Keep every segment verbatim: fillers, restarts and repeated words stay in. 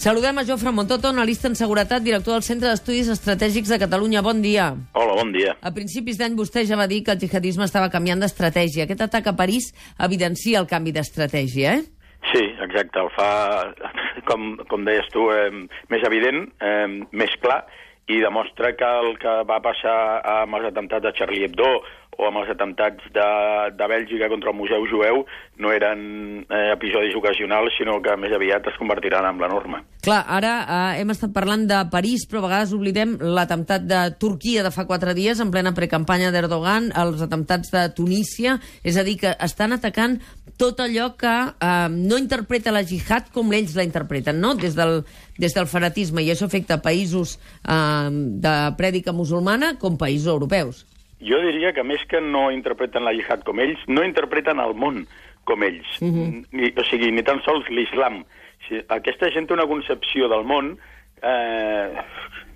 Saludem a Jofre Montoto, analista en seguretat, director del Centre d'Estudis Estratègics de Catalunya. Bon dia. Hola, bon dia. A principis d'any vostè ja va dir que el jihadisme estava canviant d'estratègia. Aquest atac a París evidencia el canvi d'estratègia, eh? Sí, exacte. El fa, com, com deies tu, eh, més evident, eh, més clar, i demostra que el que va passar amb els atemptats de Charlie Hebdo o amb els atemptats de, de Bèlgica contra el Museu Jueu no eren eh, episodis ocasionals, sinó que més aviat es convertiran en la norma. Clar, ara eh, hem estat parlant de París, però a vegades oblidem l'atemptat de Turquia de fa quatre dies, en plena precampanya d'Erdogan, els atemptats de Tunísia, és a dir, que estan atacant tot allò que eh, no interpreta la jihad com ells la interpreten, no? Des del, des del fanatisme, i això afecta països eh, de prèdica musulmana com països europeus. Jo diria que més que no interpreten la jihad com ells, no interpreten el món com ells. Uh-huh. ni, o sigui, ni tan sols l'islam. Si, aquesta gent té una concepció del món eh,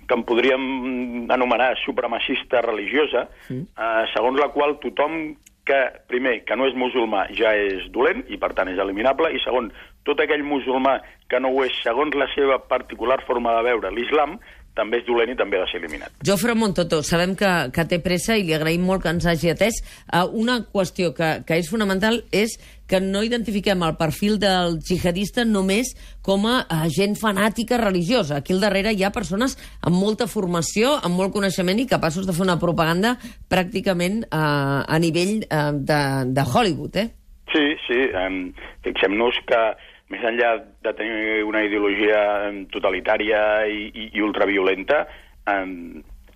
que en podríem anomenar supremacista religiosa, uh-huh. eh, segons la qual tothom que, primer, que no és musulmà ja és dolent i, per tant, és eliminable, i segon, tot aquell musulmà que no ho és segons la seva particular forma de veure l'islam, també és dolent i també ha de ser eliminat. Jofre Montoto, sabem que, que té pressa i li agraïm molt que ens hagi atès. Uh, una qüestió que, que és fonamental és que no identifiquem el perfil del jihadista només com a uh, gent fanàtica religiosa. Aquí al darrere hi ha persones amb molta formació, amb molt coneixement i capaços de fer una propaganda pràcticament uh, a nivell uh, de, de Hollywood, eh? Sí, sí. Um, fixem-nos que més enllà de tenir una ideologia totalitària i, i, i ultraviolenta, eh,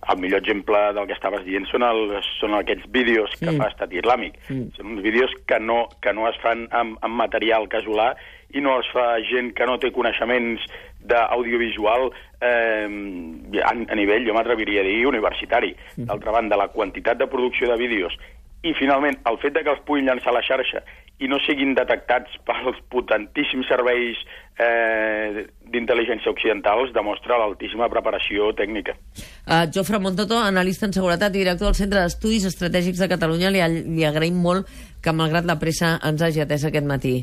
el millor exemple del que estaves dient són, el, són aquests vídeos que mm. fa Estat Islàmic. Mm. Són uns vídeos que no, que no es fan amb, amb material casolà i no es fa gent que no té coneixements d'audiovisual eh, a, a nivell, jo m'atreviria a dir, universitari. Mm. D'altra banda, la quantitat de producció de vídeos i, finalment, el fet de que els puguin llançar a la xarxa i no siguin detectats pels potentíssims serveis eh, d'intel·ligència occidentals demostra l'altíssima preparació tècnica. Uh, Jofre Montoto, analista en seguretat i director del Centre d'Estudis Estratègics de Catalunya, li, li agraïm molt que, malgrat la pressa, ens hagi atès aquest matí.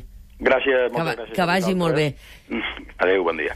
Gràcies, moltes que, gràcies. Que vagi molt bé. Adéu, bon dia.